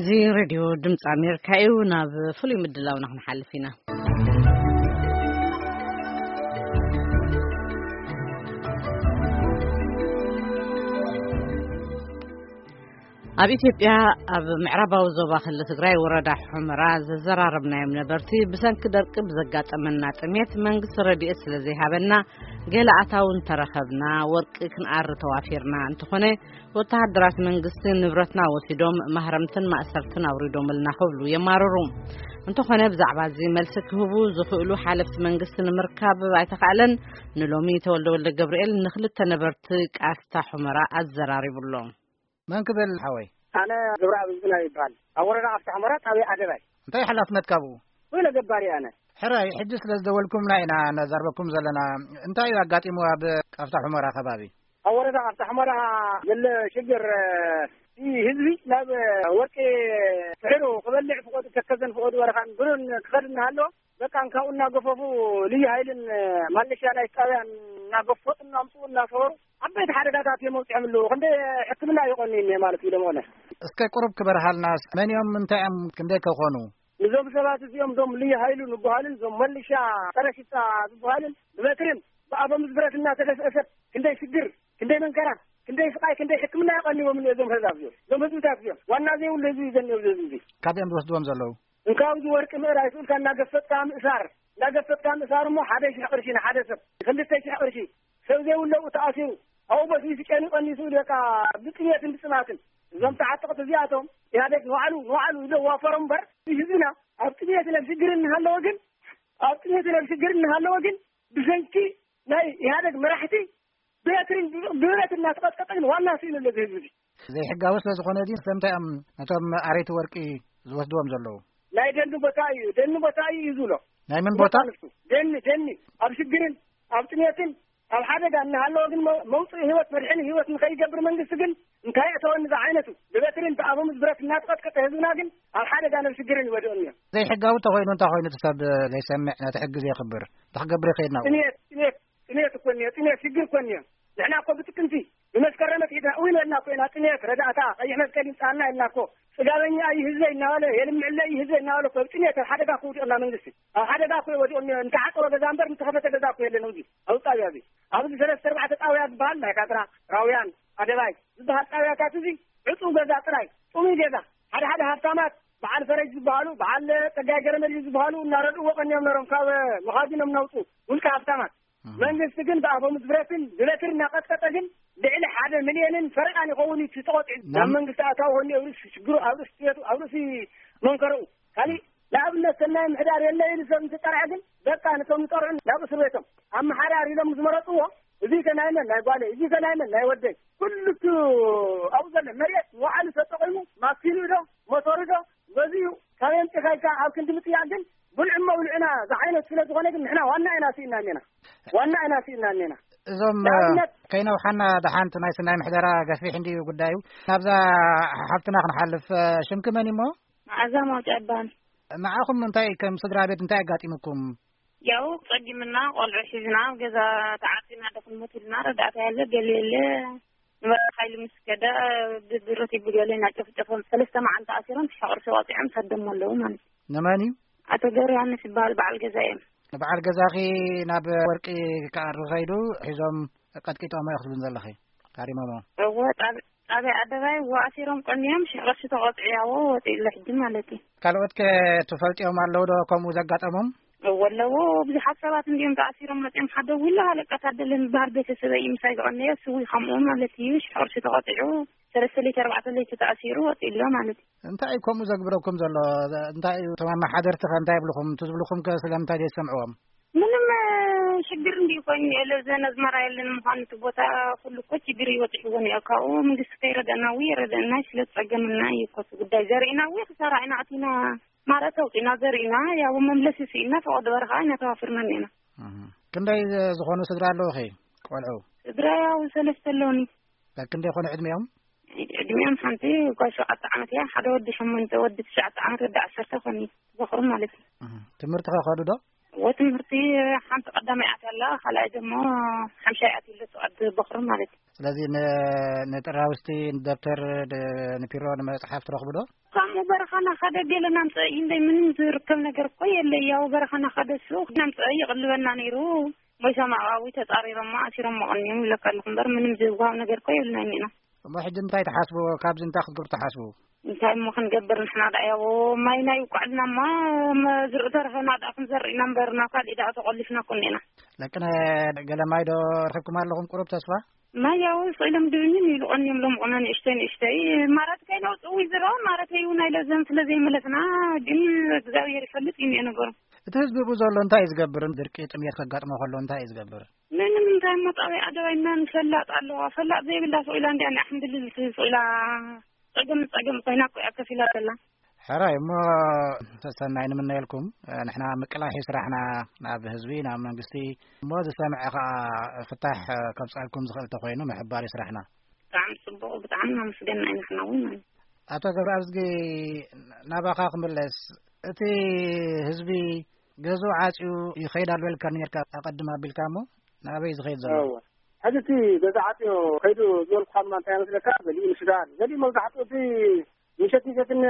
እዚ ሬድዮ ድምፂ ኣሜሪካ እዩ። ናብ ፍሉይ ምድላውና ክንሓልፍ ኢና። ኣብ ኢትዮጵያ ኣብ ምዕራባዊ ዞባ ክልል ትግራይ ወረዳ ሑመራ ዘዘራረብናዮም ነበርቲ ብሰንኪ ደርቂ ብዘጋጠመና ጥሜት መንግስቲ ረድኤት ስለ ዘይሃበና ገለ ኣታዊ እንተረኸብና ወርቂ ክንኣሪ ተዋፊርና። እንተኾነ ወተሃደራት መንግስቲ ንብረትና ወሲዶም ማህረምትን ማእሰርትን ኣውሪዶምልና ክብሉ የማርሩ። እንተኾነ ብዛዕባ እዚ መልሲ ክህቡ ዝኽእሉ ሓለፍቲ መንግስቲ ንምርካብ ኣይተኻእለን። ንሎሚ ተወልደ ወልደ ገብርኤል ንክልተ ነበርቲ ቃፍታ ሑመራ ኣዘራሪቡሎም። መን ክብል ሓወይ? ኣነ ግብረኣብ ዝናብ ይበሃል። ኣብ ወረዳ ቃፍታ ሑመራ ጣብያ ኣደባይ። እንታይ ሓላፍነት ካብኡ? ወይለ ገባሪ ኣነ። ሕራይ፣ ሕጂ ስለ ዝደወልኩምና ኢና ነዛርበኩም ዘለና። እንታይ እዩ ኣጋጢሙ ኣብ ቃፍታ ሑመራ ከባቢ? ኣብ ወረዳ ቃፍታ ሑመራ ዘሎ ሽግር፣ እቲ ህዝቢ ናብ ወርቂ ፍሕሩ ክበልዕ ፍቆዱ ተከዘን ፍቆዱ በረኻን ብሩን ክኸድ እናሃለዎ በቃ ካብኡ እናገፈፉ ልዩ ሃይልን ማለሻ ናይ ጣብያን እናገፈጡ እናምፅኡ እናሰበሩ ዓበይቲ ሓደጋታት እዮም ኣብፅሖም ኣለዉ። ክንደይ ሕክምና ይቐኑ እኒሀ ማለት እዩ። ደመሆነ እስከ ቁሩብ ክበርሃልና፣ መን እዮም፣ እንታይ እዮም፣ ክንደይ ከኾኑ? ንዞም ሰባት እዚኦም ዞም ልዩ ሃይሉ ንበሃሉን ዞም መለሻ ጸረ ሽፍታ ዝበሃሉን ብበትርን ብኣፈሙዝ ብረት እናተገስአሰት ክንደይ ሽግር፣ ክንደይ መንከራ፣ ክንደይ ስቃይ፣ ክንደይ ሕክምና የቐንዎም እኒኦ እዞም ህዝቢ እዚኦም። እዞም ህዝብታት እዚኦም ዋና ዘይብሉ ህዝቢ እዩ ዘኒኦ እዚ ህዝቢ እዚ። ካበይ እዮም ዝወስድዎም ዘለዉ? እንካብ እዚ ወርቂ ምእራይ ስኡልካ እናገፈጥካ ምእሳር፣ እናገፈጥካ ምእሳር እሞ ሓደ ሽሕ ቅርሺ ንሓደ ሰብ፣ ክልተ ሽሕ ቅርሺ ሰብ ዘይብለኡ ተኣሲሩ ኣብኡ በስቢሱ ጨኒቐኒ ስኡል በቃ ብጥሜትን ብፅማትን። እዞም ተዓጠቕቲ እዚኣቶም ኢህኣዴግ ንባዕሉ ንባዕሉ ይዘዋፈሮም እምበር ህዝብና ኣብ ጥሜትን ኣብ ሽግርን እናሃለወ ግን ኣብ ጥሜትን ኣብ ሽግርን እናሃለወ ግን ብሰንኪ ናይ ኢህኣዴግ መራሕቲ ብበትርን ብብረት እናተቐጥቀጠ ግን ዋና ስኢኑ ኣሎ እዚ ህዝቢ እዚ። ዘይሕጋዊ ስለ ዝኾነ ድዩ? ስለምንታይ እዮም ነቶም ኣረይቲ ወርቂ ዝወስድዎም ዘለዉ? ናይ ደኒ ቦታ እዩ፣ ደኒ ቦታ እዩ እዩ ዝብሎ። ናይ ምን ቦታ? ንሱ ደኒ፣ ደኒ ኣብ ሽግርን ኣብ ጥሜትን ኣብ ሓደጋ እናሃለወ ግን መ-፣ መውፅኢ ህይወት መድሕኒ ህይወት ንኸይገብር መንግስቲ ግን እንታይ እተወኒ ዝዓይነቱ ብበትርን ብኣፈሙዝ ብረት እናተቐጥቀጠ ህዝብና ግን ኣብ ሓደጋ ናብ ሽግርን ይወድቕን እዮም። ዘይሕጋዊ እንተኾይኑ እንታይ ኮይኑ እቲ ሰብ ዘይሰምዕ ነቲ ሕጊ ዘየኽብር እንታይ ክገብር ይኽእል ናብኡ? ጥሜት፣ ጥሜት፣ ጥሜት እኮ እኒኦ፣ ጥሜት ሽግር እኮ እኒኦ። ንሕና እኮ ብጥቅምቲ ብመስከረም ኣትሒዝና እውን ኢልና እኮ ኢና ጥሜት ረዳእታ ቀይሕ መስቀል ይምፅኣልና ኢልና እኮ። ጽጋበኛ እዩ ህዝበይ እናበለ የልምዕለይ እዩ ህዝበይ እናበለ እኮ ኣብ ጥሜት ኣብ ሓደጋ እኮ ውዲቕና መንግስቲ። ኣብ ሓደጋ እኮ ወዲቑ እኒኦ። እንተሓፀረ ገዛ እምበር እንተኸፈተ ገዛ እኮ የለን ኣብዚ ኣብ ጣብያ እዚ። ኣብዚ ሰለስተ ኣርባዕተ ጣብያ ዝበሃል ናይ ካትራ፣ ራውያን፣ ኣደባይ ዝበሃል ጣብያታት እዚ ዕፁው ገዛ ጥራይ፣ ጥሙይ ገዛ። ሓደ ሓደ ሃብታማት በዓል ፈረጅ ዝበሃሉ፣ በዓል ጸጋይ ገረመልዩ ዝበሃሉ እናረድእዎ ቀንዮም ነሮም ካብ መኻዚኖም እናውፁ ውልቀ ሃብታማት። እህ። መንግስቲ ግን ብኣፈሙዝ ብረትን ብበትሪ እናቀጥቀጠ ግን ልዕሊ ሓደ ሚልዮንን ፈረቓን ይኸውን እዩ እቲ ተቖጢዑ። ናብ ናብ መንግስቲ ኣታዊ ኮይኑ ኣብ ርእሲ ሽግሩ፣ ኣብ ርእሲ ጥየቱ፣ ኣብ ርእሲ መንከረኡ። ካሊእ ንኣብነት ሰናይ ምሕዳር የለ ኢሉ ሰብ እንትጠርዐ ግን በቃ ነቶም ዝጠርዑ ናብ እስር ቤቶም ኣመሓዳሪ ኢሎም ዝመረፅዎ እዚ ከ ናይ መን ናይ ጓለይ፣ እዚ ከ ናይ መን ናይ ወደይ፣ ኩሉ እቲ ኣብኡ ዘሎ መሬት ንባዕሉ ተጠቒሙ ማኪኑ ዶ ሞተሩ ዶ ገዚኡ ካብ የምፅእ ኢልካ ኣብ ክንዲ ምጥያቕ ግን ብልዑ እሞ ብልዑና ዝዓይነት ስለ ዝኾነ ግን ንሕና ዋና ኢና ስኢና እኒና። ዋና ኢና ስኢና እኒና። እዞም ንኣብነት ከይነውሓና ደሓንቲ ናይ ሰናይ ምሕደራ ገፊሕ እንድዩ ጉዳዩ። ናብዛ ሓፍትና ክንሓልፍ፣ ሽምኪ መን እሞ? መዓዛ ማውጫ ይበሃል። ንዓኹም እንታይ ከም ስድራ ቤት እንታይ ኣጋጢሙኩም? ያው ጸጊምና ቆልዑ ሒዝና ኣብ ገዛ ተዓጺና ዶ ክንሞት ኢልና ረዳእታ የለ ገለ የለ ንበረኻ ኢሉ ምስ ከደ ብብረት ይብገለ ኢና ጨፍጨፎም ሰለስተ መዓልቲ ኣሲሮም ሽሕቕርሲ ወፂዖም ሰዶሞ ኣለዉ ማለት እዩ። ንመን እዩ? ኣቶ ገብረ ዮሃንስ ይበሃል በዓል ገዛ እዮም። ንበዓል ገዛኺ ናብ ወርቂ ክኣሪ ኸይዱ ሒዞም ቀጥቂጦሞ እዮም ክትብልን ዘለኺ? ሃሪሞሞ? እወ ጣብ- ጣብያ ኣደባይ እወ ኣሲሮም ቀንዮም ሽሕቕርሲ ተቆጥዑ ያዎ ወፂኡ ኣሎ ሕጂ ማለት እዩ። ካልኦት ከ ትፈልጥዮም ኣለዉ ዶ ከምኡ ዘጋጠሞም? እወ ኣለዎ ብዙሓት ሰባት እንዲዮም ተኣሲሮም መፅኦም ሓደ ዊላ ኣለቀት ኣደለ ዝበሃል ቤተሰበይ እዩ ምሳይ ዝቐነዮ ስዊ ከምኡ ማለት እዩ ሽሕቕርሲ ተቆጢዑ ሰለስተ ለይቲ ኣርባዕተ ለይቲ ተኣሲሩ ወፂኡ ኣሎ ማለት እዩ። እንታይ እዩ ከምኡ ዘግብረኩም ዘሎ? እንታይ እዩ እቶም ኣመሓደርቲ ከ እንታይ ይብልኹም? እቲ ዝብልኹም ከ ስለምንታይ ዘይሰምዕዎም? ምንም ሽግር እንዲ ኮይኑ የለ ዘን ኣዝመራ የለን ምዃኑ እቲ ቦታ ኩሉ እኮ ችግር ይወፅሕዎ እኒኦ ካብኡ መንግስቲ ከይረደና ው የረደና ስለ ዝፀገምና እዩ እኮ እቲ ጉዳይ ዘርኢና ው ክሳራ ኢና ኣቲና ማረት ኣውፂና ዘርኢና ያው መምለሲ ስኢና ፈቐዶ በረኻ ኢና ተዋፍርና እኒና። እህ። ክንደይ ዝኾኑ ስድራ ኣለውኺ ቆልዑ? ስድራ ያው ሰለስተ ኣለውኒ። ክንደይ ይኾኑ ዕድሚኦም? ዕድሚኦም ሓንቲ ጓል ሸውዓተ ዓመት እያ ሓደ ወዲ ሸሞንተ ወዲ ትሽዓተ ዓመት ወዲ ዓሰርተ ኮኒ። ዝኽሩ ማለት እዩ። እህ። ትምህርቲ ከኸዱ ዶ? ወትምህርቲ ሓንቲ ቀዳማይ ኣትያ ኣላ ካልኣይ ደሞ ሓምሻይ ኣትዩ ኣሎ ተቐድ በኽሩ ማለት እዩ። ስለዚ ን- ንጥራውስቲ ንደብተር ድ- ንፒሮ ንመፅሓፍ ትረኽቡ ዶ? ከምኡ በረኻና ኸደ ገለ ናምፀ እዩ እንደ ምንም ዝርከብ ነገር እኮ የለ። ያው በረኻና ኸደ ሱ ናምፀ ይቕልበና ነይሩ። ወይ ሰማዕዊ ተፃሪሮማ ኣሲሮሞ ቀኒዮም ይለካ ኣለኹ እምበር ምንም ዝብሃው ነገር እኮ የብልና ኢና። እሞ ሕጂ እንታይ ትሓስቡ? ካብዚ እንታይ ክትገብሩ ትሓስቡ? እንታይ እሞ ክንገብር ንሕና ደኣ ያቦ ማይ ናይ ውቃዕልና እማ ዝርኢ ተረኸና ደኣ ክንዘርእ ኢና እምበር ናብ ካሊእ ደኣ ተቆሊፍና እኮ እኒና። ለቅነ ገለ ማይ ዶ ረኺብኩም ኣለኹም ቁሩብ ተስፋ? ማይ ያው ስኢሎም ድብንን ይልቆን እዮም ሎም ቁና ንእሽተይ ንእሽተይ ማለት ከይነውፅኡ ይዝረው ማለት እዩ ናይ ለዘን ስለ ዘይመለስና ግን እግዚኣብሔር ይፈልጥ እዩ እኒኦ ነገሩ። እቲ ህዝቢ ብኡ ዘሎ እንታይ እዩ ዝገብር? ድርቂ ጥሜት ከጋጥሞ ከሎ እንታይ እዩ ዝገብር? ምንም እንታይ እሞ ጣብያ ኣደባይና ንፈላጥ ኣለዋ ፈላጥ ዘይብላ ስኢላ እንዲያ ንኣሕምድልል ስኢላ ጸገም ጸገም ኮይና እኮ እያ ከፊላ ዘላ። ሕራይ እሞ ሰሰናይ ንምነየልኩም። ንሕና ምቅላሕ እዩ ስራሕና፣ ናብ ህዝቢ ናብ መንግስቲ እሞ ዝሰምዐ ከዓ ፍታሕ ከምፀልኩም ዝኽእል ተኮይኑ ምሕባር እዩ ስራሕና። ብጣዕሚ ፅቡቅ ብጣዕሚ ናመስገና ኢና ንሕና እውን ማለት። ኣቶ ገብረኣብዝጊ፣ ናባኻ ክምለስ፣ እቲ ህዝቢ ገዝኡ ዓፅዩ ይኸይድ ኣሎ ኢልካ ነርካ ኣቐድም ኣቢልካ እሞ ናበይ ዝኸይድ ዘሎ? እወ። ሕዚ እቲ ገዛ ዓፅዮ ከይዱ ዝበልኩኻ ድማ እንታይ መስለካ? ገሊኡ ንሱዳን፣ ገሊኡ መብዛሕትኡ እቲ ምሸት ምሸትን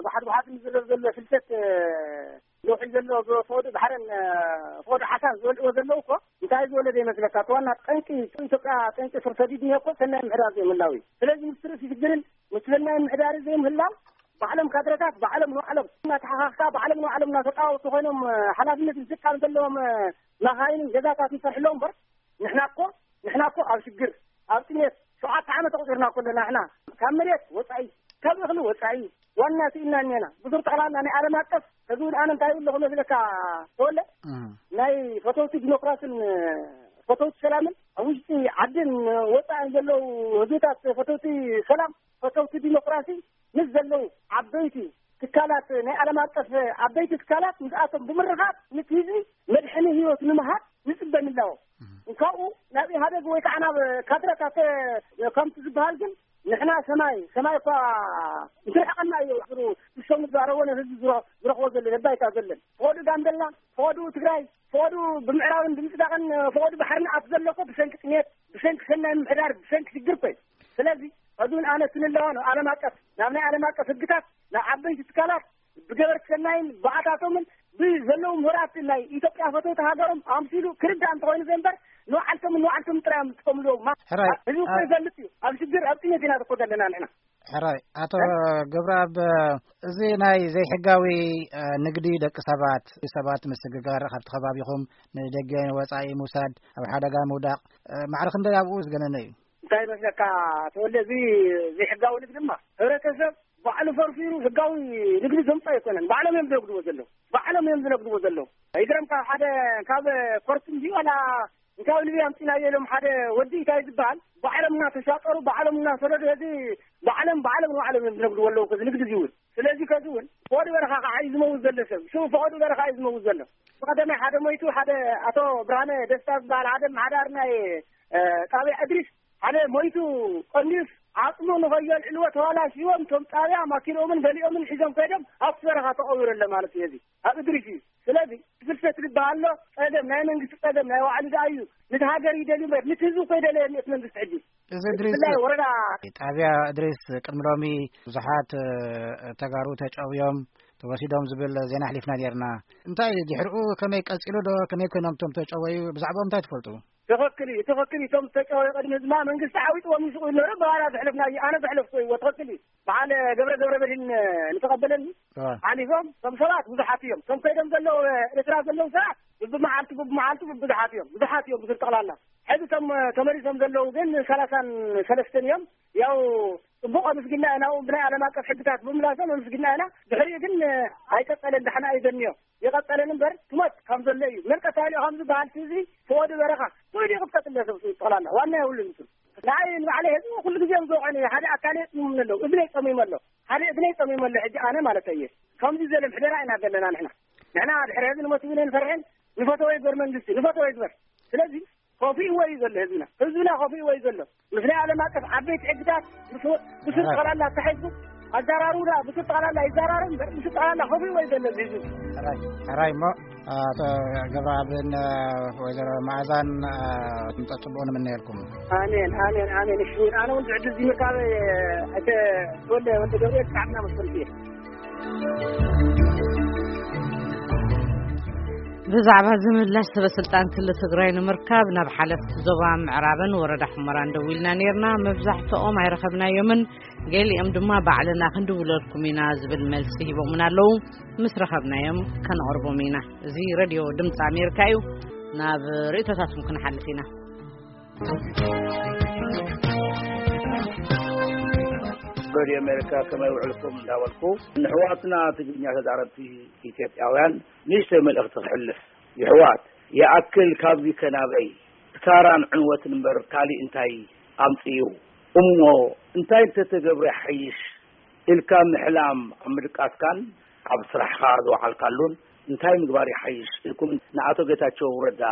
ባሕሪ ባሕሪ ዝዝረብ ዘሎ ፍልሰት፣ እ፣ ነውሒ ዘሎ ብፈወዱ ባሕርን፣ እ፣ ፈወዱ ሓሳን ዝበልዕዎ ዘለዉ እኮ እንታይ ዝበለ ዘይመስለካ? እቲ ዋና ጠንቂ ኢትዮጵያ ጠንቂ ስር ሰዲድ እኒኦ እኮ ሰናይ ምሕዳር ዘይምህላው እዩ። ስለዚህ ምስ ትርእሲ ሽግርን ምስ ሰናይ ምሕዳር ዘይምህላው ባዕሎም ካድረታት ባዕሎም ንባዕሎም እናተሓኻኽካ ባዕሎም ንባዕሎም እናተጣወቱ ኮይኖም፣ እ፣ ሓላፍነት ምስቃም ዘለዎም፣ እ፣ መኻይንን ገዛታት ይሰርሕሎም እምበር ንሕና እኮ ንሕና እኮ ኣብ ሽግር ኣብ ጥሜት ሸውዓተ ዓመት ኣቑፂርና እኮ ኣለና። ንሕና ካብ መሬት ወፃኢ ካብ እኽሊ ወፃኢ ዋና ስኢልና እኒና ብዙር ጠቕላላ ናይ ዓለም ኣቀፍ ከዚ እውን ኣነ እንታይ ይብለኹ መስለካ ተወለ እም። ናይ ፈተውቲ ዲሞክራስን ፈተውቲ ሰላምን ኣብ ውሽጢ ዓድን ወፃእን ዘለዉ ህዝብታት ፈተውቲ ሰላም ፈተውቲ ዲሞክራሲ ምስ ዘለዉ ዓበይቲ ትካላት ናይ ዓለም ኣቀፍ ዓበይቲ ትካላት ምስኣቶም ብምርኻብ ነቲ ህዝቢ መድሕኒ ህይወት ንምሃብ ንፅበ ምህላዎ እንካኡ ናብ ኢህኣደግ ወይ ከዓ ናብ ካድረታት ከምቲ ዝበሃል ግን ንሕና ሰማይ ሰማይ እኳ እንትርሕቀና እዩ ዝሩ ዝሰሙ ዝዛረቦ ነህዝቢ ዝረ- ዝረኽቦ ዘሎ ነባይታ ዘለን ፈወዱ ጋምቤላ ፈወዱ ትግራይ ፈወዱ ብምዕራብን ብምፅዳቕን ፈወዱ ባሕሪ ንኣት ዘሎ እኮ ብሰንኪ ጥሜት ብሰንኪ ሰናይ ምምሕዳር ብሰንኪ ሽግር እኮ እዩ። ስለዚ ሕዚ እውን ኣነ ክንለዋ ነው ዓለም ኣቀፍ ናብ ናይ ዓለም ኣቀፍ ህግታት ናብ ዓበይቲ ትካላት ብገበርቲ ሰናይን ብኣታቶምን ብዘለዉ ምሁራት ናይ ኢትዮጵያ ፈተውቲ ሃገሮም ኣምሲሉ ክርዳእ እንተኾይኑ ዘንበር ንባዕልቶምን ንባዕልቶም ጥራይ እዮም ዝጥቀምሉ። ማ- ሕራይ፣ ህዝቢ እኮ ኣ- ይፈልጥ እዩ። ኣብ ሽግር ኣብ ጥሜት ኢና እኮ ዘለና ንሕና። ሕራይ፣ ኣቶ እ? ገብረኣብ፣ እዚ ናይ ዘይሕጋዊ፣ እ፣ ንግዲ ደቂ ሰባት፣ ሰባት ምስግጋር ካብቲ ከባቢኹም ንደገ ንወጻኢ ምውሳድ፣ ኣብ ሓደጋ ምውዳቕ፣ እ፣ ማዕረ ክንደይ ኣብኡ ዝገነነ እዩ? እንታይ ይመስለካ ተወልደ፣ እዚ ዘይሕጋዊ ንግዲ ድማ ሕብረተሰብ ባዕሉ ፈርፊሩ ህጋዊ ንግዲ ዘምፅኦ ኣይኮነን። ባዕሎም እዮም ዝነግድዎ ዘለዉ። ባዕሎም እዮም ዝነግድዎ ዘለዉ። ይግረምካ፣ ሓደ ካብ ኮርት እንጂ ዋላ እንታይ ልቢ ኣምፂናዮ ኢሎም ሓደ ወዲ እንታይ ዝበሃል ባዕሎም እናተሻጠሩ፣ ባዕሎም እናሰደዱ፣ እዚ ባዕሎም፣ ባዕሎም ንባዕሎም እዮም ዝነግድዎ ኣለዉ። ከዚ ንግዲ እዚ እውን፣ ስለዚ ከዚ እውን ፈቐዱ በረኻ ከዓ እዩ ዝመውት ዘሎ ሰብ። ሽዑ ፈቐዱ በረኻ እዩ ዝመውት ዘሎ። ብቐደማይ ሓደ ሞይቱ፣ ሓደ ኣቶ ብርሃነ ደስታ ዝበሃል ሓደ መሓዳር ናይ፣ እ፣ ጣብያ እድሪስ ሓደ ሞይቱ፣ ቀኒዩስ፣ ዓጽሙ ንኸየልዕልዎ ተባላሽዎም፣ እቶም ጣብያ ማኪንኦምን ገሊኦምን ሒዞም ከይዶም ኣብቲ በረኻ ተቐቢሩ ኣሎ ማለት እዩ። እዚ ኣብ እድሪስ እዩ። ስለዚ ፍልሰት ዝበሃል ኣሎ፣ ጸገም ናይ መንግስቲ ጸገም ናይ ባዕሉ ደኣ እዩ። ነቲ ሃገር ይደልዩ እምበር፣ ነቲ ህዝቢ እኮ ይደለየ እቲ መንግስቲ ሕጂ። እዚ እድሪስ ብፍላይ ወረዳ ጣብያ እድሪስ ቅድሚ ሎሚ ብዙሓት፣ እ፣ ተጋሩ ተጨውዮም ተወሲዶም ዝብል ዜና ኣሕሊፍና ኔርና። እንታይ ድሕሪኡ ከመይ ቀጺሉ ዶ? ከመይ ኮይኖም እቶም ተጨወዩ? ብዛዕባኦም እንታይ ትፈልጡ? ትኽክል እዩ፣ ትኽክል እዩ። እቶም ዝተጨወዩ ቅድሚ ህዝብና መንግስቲ ዓዊጥዎም እዩ ስቕ ኢሉ ነይሩ። ብባህላ ዘሕለፍና እዩ፣ ኣነ ዘሕለፍኩ እይዎ። ትኽክል እዩ። በዓል ገብረ ገብረ መድህን ንተቐበለኒ አ። ሓሊፎም፣ እቶም ሰባት ብዙሓት እዮም። እቶም ከይዶም ዘለዉ፣ ኤርትራ ዘለዉ ሰባት ብብመዓልቱ፣ ብብመዓልቱ ብዙሓት እዮም። ብዙሓት እዮም ብስር ጠቕላላ። ሕዚ እቶም ተመሊሶም ዘለዉ ግን ሰላሳን ሰለስተን እዮም። ያው ጽቡቕ ኣመስጊና ኢና፣ ብናይ ዓለም ኣቀፍ ሕግታት ብምምላሶም ኣመስጊና ኢና። ድሕሪኡ ግን ኣይቀጸለን፣ ዳሕና እዩ ዘንዮ። ይቐጸለን እምበር ትሞት ከም ዘሎ እዩ። መርቀት ታሊኦ ከም ዝበሃል እዚ ተወዲ በረኻ፣ ተወዲ ይቕጠጥ እንደ ሰብ ጠቕላላ ዋና የብሉን እሱ። ንዓይ ንባዕለይ ህዝቢ ኩሉ ግዜ እዮም ዝወቕዑኒ። ሓደ ኣካለይ ጸሚሙ ኣለዉ፣ እዝነይ ጸሚሙ ኣሎ። ሓደ እዝነይ ጸሚሙ ኣሎ። ሕጂ ኣነ ማለት እየ። ከምዚ ዘለ ምሕደራ ኢና ዘለና ንሕና። ንሕና ድሕሪ ህዝቢ ንሞት እውን ኣይንፈርሕን። ንፈተወ ይግበር መንግስቲ፣ ንፈተወ ይግበር። ስለዚ ከፊእዎ እዩ ዘሎ ህዝብና። ህዝብና ከፊእዎ እዩ ዘሎ። ምስ ናይ ዓለም ኣቀፍ ዓበይቲ ሕግታት ምስ፣ ምስ ጠቕላላ ኣተሓሒዝኩም ኣዘራርቡና ብስጠቓላላ ይዘራረብ እምበር ብስጠቓላላ ከብሪ ወይ ዘሎ ህዝቢ። ሕራይ ሕራይ እሞ ኣቶ ገብረኣብን ወይዘሮ መዓዛን ምጸ ጽቡቕ ንምነየልኩም። ኣሜን ኣሜን ኣሜን። እሺ ኣነ እውን ዕድል እዚ ምርካብ ኣይተ ወልደ ወልደ ገብርኤል ብጣዕሚ እናመስገንኩ እየ። ብዛዕባ እዚ ምላሽ ሰበ ስልጣን ክልል ትግራይ ንምርካብ ናብ ሓለፍቲ ዞባ ምዕራብን ወረዳ ሑመራን ደዊልና ነይርና። መብዛሕትኦም ኣይረኸብናዮምን፣ ገሊኦም ድማ ባዕልና ክንድውለልኩም ኢና ዝብል መልሲ ሂቦምና ኣለዉ። ምስ ረኸብናዮም ከነቕርቦም ኢና። እዚ ሬድዮ ድምፂ ኣሜሪካ እዩ። ናብ ርእይቶታትኩም ክንሓልፍ ኢና። ሬድዮ ኣሜሪካ ከመይ ውዕልኩም እንዳበልኩ ንሕዋትና ትግርኛ ተዛረብቲ ኢትዮጵያውያን ንእሽተይ መልእኽቲ ክሕልፍ። ይሕዋት ይኣክል ካብዚ ከናበይ ክሳራን ዕንወትን እምበር ካሊእ እንታይ ኣምፅኡ? እሞ እንታይ እንተተገብረ ይሓይሽ ኢልካ ምሕላም ኣብ ምድቃስካን ኣብ ስራሕኻ ዝወዓልካሉን እንታይ ምግባር ይሓይሽ ኢልኩም ንኣቶ ጌታቸው ረዳ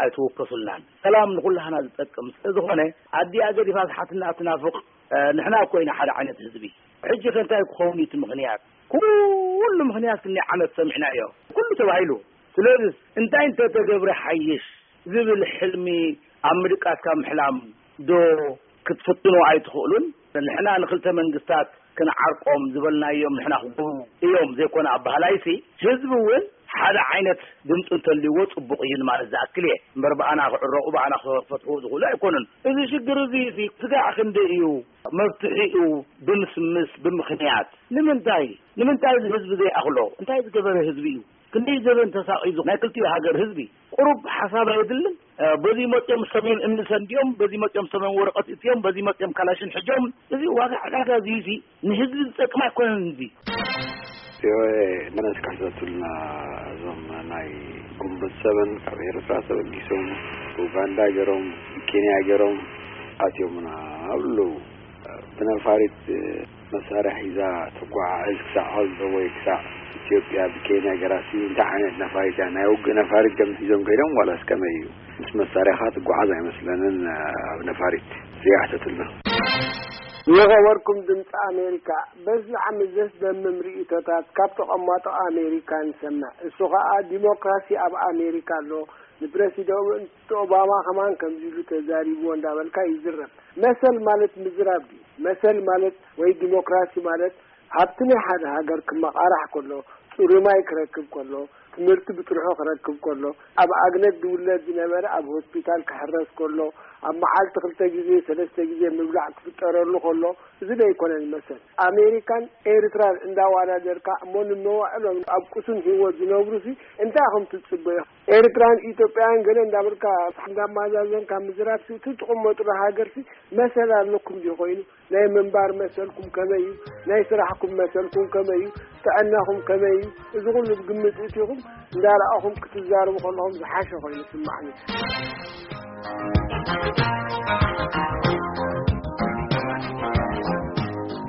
ኣይትወከሱልናን። ሰላም ንኹላህና ዝጠቅም ስለ ዝኾነ ኣዲኣ ገዲፋ ዝሓትና ትናፍቕ። እ፣ ንሕና እኮ ኢና ሓደ ዓይነት ህዝቢ። ሕጂ ከ እንታይ ክኸውን እዩ እቲ ምኽንያት? ኩሉ ምኽንያት ክንደይ ዓመት ሰሚዕናዮ። ኩሉ ተባሂሉ። ስለዚ እንታይ እንተተገብረ ሓይሽ ዝብል ሕልሚ ኣብ ምድቃስ ካብ ምሕላም ዶ ክትፍትኑ ኣይትኽእሉን? ንሕና ንክልተ መንግስታት ክንዓርቆም ዝበልናዮም ንሕና ክገብሩ እዮም ዘይኮነ ኣባህላይሲ ህዝቢ እውን ሓደ ዓይነት ድምፂ እንተልይዎ ፅቡቕ እዩ ንማለት ዝኣክል እየ። እምበር ብኣና ክዕረቑ ብኣና ክፈትሕዎ ዝኽእሉ ኣይኮኑን። እዚ ሽግር እዚ እዚ ስጋዕ ክንደይ እዩ መፍትሒኡ ብምስምስ ብምኽንያት ንምንታይ ንምንታይ እዚ ህዝቢ ዘይኣኽሎ? እንታይ ዝገበረ ህዝቢ እዩ? ክንደይ ዘበን ተሳቒዩ ናይ ክልቲኡ ሃገር ህዝቢ ቁሩብ ሓሳብ ኣየድልን? እ፣ በዚ መፅኦም ሰሜን እምኒ ሰንዲኦም፣ በዚ መፅኦም ሰሜን ወረቐት እትዮም፣ በዚ መፅኦም ካላሽን ሕጆም። እዚ ዋጋ ዕዳጋ እዚ እዚ ንህዝቢ ዝጠቅም ኣይኮነን እዚ። ቪኦኤ መለስ ካሕተቱልና እዞም ናይ ግንቦት ሰበን ካብ ኤርትራ ተበጊሶም ኡጋንዳ ገይሮም ኬንያ ገይሮም ኣትዮምና ኣብሉ ብነፋሪት መሳርያ ሒዛ ትጓዓዝ ክሳዕ ኣልዶ ወይ ክሳዕ ኢትዮጵያ ብኬንያ ገራሲ እንታይ ዓይነት ነፋሪት እያ? ናይ ውግእ ነፋሪት ከም ሒዞም ከይዶም ዋላስ ከመይ እዩ? ምስ መሳርያኻ ትጓዓዝ ኣይመስለንን ኣብ ነፋሪት። እዚኣ ሕተትልና። የኸበርኩም ድምፂ ኣሜሪካ። በዚ ዓመት ዘስደምም ርእይቶታት ካብ ተቐማጦ ኣሜሪካ ንሰምዕ። እሱ ኸዓ ዲሞክራሲ ኣብ ኣሜሪካ ኣሎ፣ ንፕረሲደንት ኦባማ ከማን ከምዚ ኢሉ ተዛሪብዎ እንዳበልካ ይዝረብ። መሰል ማለት ምዝራብ ድዩ? መሰል ማለት ወይ ዲሞክራሲ ማለት ሃብቲ ናይ ሓደ ሃገር ክመቓራሕ ከሎ፣ ፅሩይ ማይ ክረክብ ከሎ፣ ትምህርቲ ብጥርሑ ክረክብ ከሎ፣ ኣብ ኣግነት ዝውለድ ዝነበረ ኣብ ሆስፒታል ክሕረስ ከሎ፣ ኣብ መዓልቲ ክልተ ግዜ ሰለስተ ግዜ ምብላዕ ክፍጠረሉ ከሎ፣ እዚ ዶ ኣይኮነን መሰል? ኣሜሪካን ኤርትራን እንዳዋዳደርካ እሞ ንመዋዕሎም ኣብ ቅሱን ህይወት ዝነብሩሲ እንታይ ኢኹም ትጽበዩ? ኤርትራን ኢትዮጵያን ገለ እንዳበልካ እንዳማዛዘንካ ምዝራብ ሲ እቲ ትቕመጥሉ ሃገርሲ መሰል ኣለኩም ድዩ ኮይኑ? ናይ ምንባር መሰልኩም ከመይ እዩ? ናይ ስራሕኩም መሰልኩም ከመይ እዩ? ጥዕናኹም ከመይ እዩ? እዚ ኩሉ ብግምት እቲኹም እንዳረኣኹም ክትዛረቡ ከለኹም ዝሓሸ ኮይኑ ይስማዕኒ።